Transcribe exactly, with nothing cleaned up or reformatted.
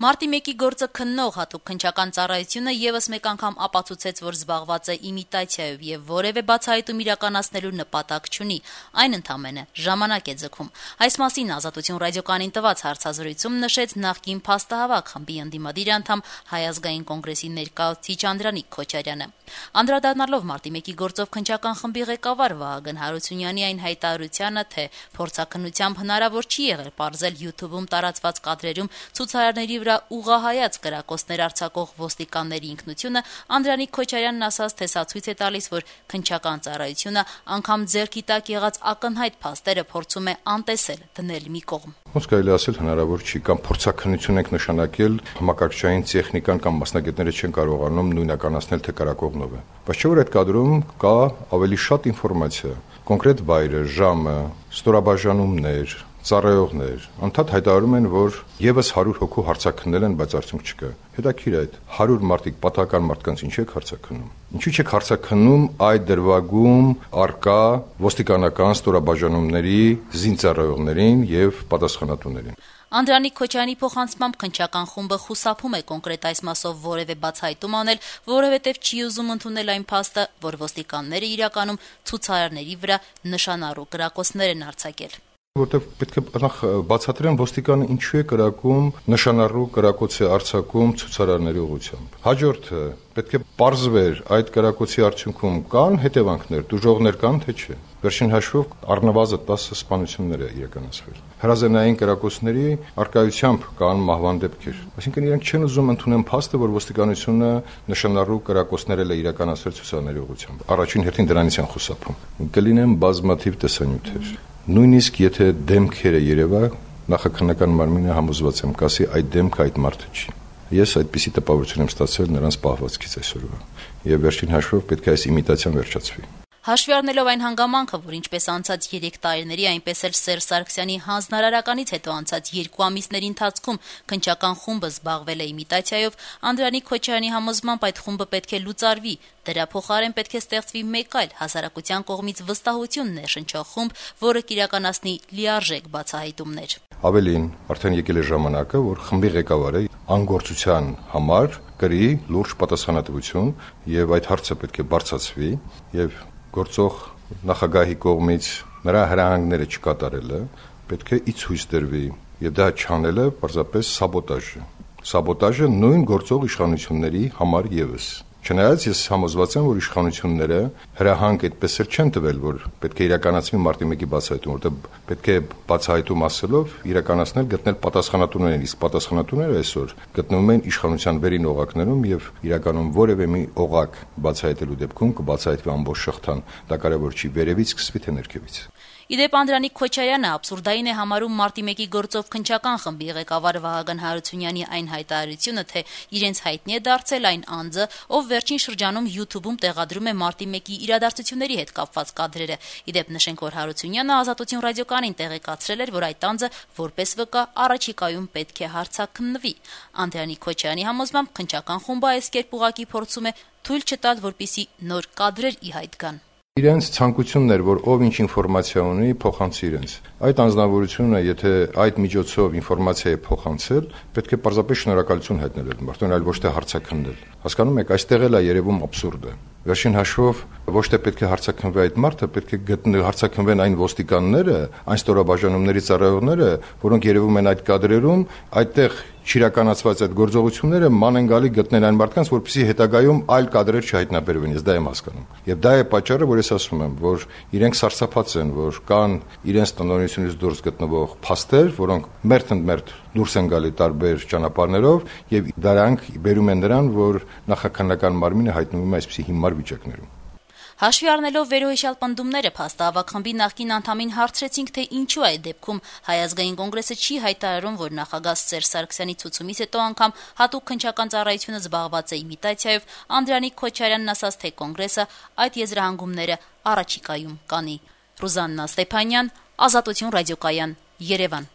Մարտի մեկի գործը քննող հատուկ քննչական ծառայությունը եւս մեկ անգամ ապացուցեց, որ զբաղված է իմիտացիայով եւ որեւէ բացահայտում իրականացնելու նպատակ չունի, այն ընդամենը ժամանակ է ձգում։ Այս մասին Ազատություն ռադիոկայանին տված հարցազրույցում նշեց նախկին փաստահավաք խմբի ընդդիմադիր անդամ Հայ ազգային կոնգրեսի ներկայացուցիչ Անդրանիկ Քոչարյանը։ Անդրադառնալով Մարտի մեկի գործով քննչական խմբի ղեկավար Վահագն Հարությունյանի այն հայտարարությանը, թե փորձաքննությամբ հնարավոր չի եղել պարզել YouTube-ում տարածված կադրերում ցուցարարների վրա ուղղահայաց կրակոցներ արձակող ոստիկանների ինքնությունը, Անդրանիկ Քոչարյանն ասաց, թե սա ցույց է տալիս, որ քննչական ծառայությունը անգամ ձեռքի տակ եղած ակնհայտ փաստերը փորձում է անտեսել, դնել մի կողմ։ Ոնց կարելի ասել հնարավոր չի, կամ փորձաքննություն ենք նշանակել, համակարգչային տեխնիկան կամ մասնագետները չեն կարողանում նույնականացնել, թե կրակողնով է։ Բայց չէ՞ որ այդ կադրում կա ավելի շատ ինֆորմացիա, կոնկրետ վայրը, ժամը, ստորաբաժանումներ, ծառայողներ, անդադ հայտարարում են, որ եւս հարյուր հոգու հարցաքննել են, բայց արդյունք չկա։ Հետաքրիր է այդ հարյուր մարդիկ պատահական մարդկանց ինչու եք հարցաքննում։ Ինչու՞ չեք հարցաքննում այդ դրվագում արկա ոստիկանական ստորաբաժանումների զինծառայողներին եւ պատասխանատուներին։ Անդրանիկ Քոչարյանի փոխանցմամբ քննչական խումբը խուսափում է կոնկրետ այս մասով որևէ բացահայտում անել, որովհետև չի ուզում ընդունել այն փաստը, որ ոստիկանները իրականում ցուցարարների վրա նշանառու կրակոցներ են արձակել։ Որտեւ պետք է նախ բացատրեն ոստիկանը ինչու է կրակում նշանառու կրակոցի արձակում ցուցարարների ուղղությամբ։ Հաջորդը պետք է պարզվեր այդ կրակոցի արդյունքում կան հետևանքներ, դժողներ կան թե չէ։ Վերջին հաշվով առնվազն տասը սպանություններ է իրականացվել։ Հրազենային կրակոցների արկայությամբ կան մահվան դեպքեր։ Այսինքն իրենք չեն ուզում ընդունել փաստը, որ ոստիկանությունը նշանառու կրակոցներ է իրականացրել ցուցարարների ուղղությամբ։ Առաջին հերթին դրանից են խուսափում։ Կլինեն բազմաթիվ տեսանյութեր։ Նույնիսկ եթե դեմքերը երևա, նախաքննական մարմինը համոզված եմ կասի այդ դեմքը այդ մարդը չի։ Ես այդպիսի տպավորություն եմ ստացել նրանց պահվածքից այսօրվա։ Եվ վերջին հաշվով պետք է այս իմիտացիան վերջացվի։ Հաշվի առնելով այն հանգամանքը, որ ինչպես անցած երեք տարիների, այնպես էլ Սերժ Սարգսյանի հանձնարարականից հետո անցած երկու ամիսների ընթացքում քննչական խումբը զբաղվել է իմիտացիայով, Անդրանիկ Քոչարյանի համոզմամբ այդ խումբը պետք է լուծարվի, դրա փոխարեն պետք է ստեղծվի մեկ այլ հասարակության կողմից վստահություն ներշնչող խումբ, որը կիրականացնի լիարժեք բացահայտումներ։ Ավելին, արդեն եկել է ժամանակը, որ խմբի ղեկավարը անգործության համար կրի լուրջ պատասխանատվություն եւ այդ հարցը պետք է բարձրացվի եւ գործող նախագահի կողմից նրա հրահանգները չկատարելը պետք է ի ցույց դրվի եւ դա չանելը պարզապես սաբոտաժ է։ Սաբոտաժը նույն գործող իշխանությունների համար եւս։ Չնայած ես համոզված եմ, որ իշխանությունները հրահանգ այդպես էլ չեն տվել, որ պետք է իրականացվի մարտի մեկի բացահայտում, որտեղ պետք է բացահայտում ասելով իրականացնել, գտնել պատասխանատուներին, իսկ պատասխանատուները այսօր գտնվում են իշխանության վերին օղակներում եւ իրականում որևէ մի օղակ բացահայտելու դեպքում կբացահայտվի ամբողջ շղթան, դա կարևոր չի վերևից սկսվի թե ներքևից։ Իդեպ Անդրանիկ Քոչարյանը աբսուրդային է համարում Մարտի մեկի գործով քննչական խմբի ղեկավար Վահագն Հարությունյանի այն հայտարարությունը, թե իրենց հայտնի է դարձել այն անձը, ով վերջին շրջանում YouTube-ում տեղադրում է Մարտի մեկի իրադարձությունների հետ կապված կադրերը։ Իդեպ նշենք, որ Հարությունյանը Ազատություն ռադիոկայանին տեղեկացրել էր, որ այդ անձը որպես վկա առաջիկայում պետք է հարցաքննվի։ Անդրանիկ Քոչարյանի համոզմամբ քննչական խումբը այս կերպ ուղղակի փորձում է թույլ չտալ, որպեսզի նոր կադրեր ի հայտ գան։ Իրենց ցանկությունն էր, որ ով ինչ ինֆորմացիա ունի, փոխանցի իրենց։ Այդ անձնավորությունը, եթե այդ միջոցով ինֆորմացիա է փոխանցել, պետք է պարզապես շնորհակալություն հայտնել այդ մարդուն, այլ ոչ թե հարցաքննել։ Հասկանում եք, այստեղ էլ է երևում աբսուրդը։ Վերջին հաշվով ոչ թե պետք է հարցաքննվի այդ մարդը, պետք է գտնել հարցաքննվեն այն ոստիկանները, այն ստորաբաժանումների ծառայողները, որոնք երևում են այդ կադրերում, այդտեղ չիրականացված այդ գործողությունները ման են գալի գտնել այն մարդկանց, որպեսզի հետագայում այլ կադրեր չհայտնաբերվեն, ես դա եմ հասկանում։ Եվ դա է պատճառը, որ ես ասում եմ, որ իրենք սարսափած են, որ կան իրենց տնօրինությունից դուրս գտնվող փաստեր, որոնք մերթ-ընդմերթ դուրս են գալի տարբեր ճանապարհներով եւ դրանք բերում են նրան, որ նախաքննական մարմինը հայտնվում է այսպիսի հիմար վիճակներում։ Հաշվի առնելով վերոհիշյալ պնդումները փաստահավաք խմբի նախկին անդամին հարցրեցինք, թե ինչու այդ դեպքում Հայ ազգային կոնգրեսը չի հայտարարում, որ նախագահ Սերժ Սարգսյանի ցուցումից հետո անգամ հատուկ քննչական ծառայությունը զբաղված է իմիտացիայով, Անդրանիկ Քոչարյանն ասաց, թե կոնգրեսը այդ եզրահանգումները առաջիկայում կանի։ Ռուզաննա Ստեփանյան, Ազատություն ռադիոկայան, Երևան։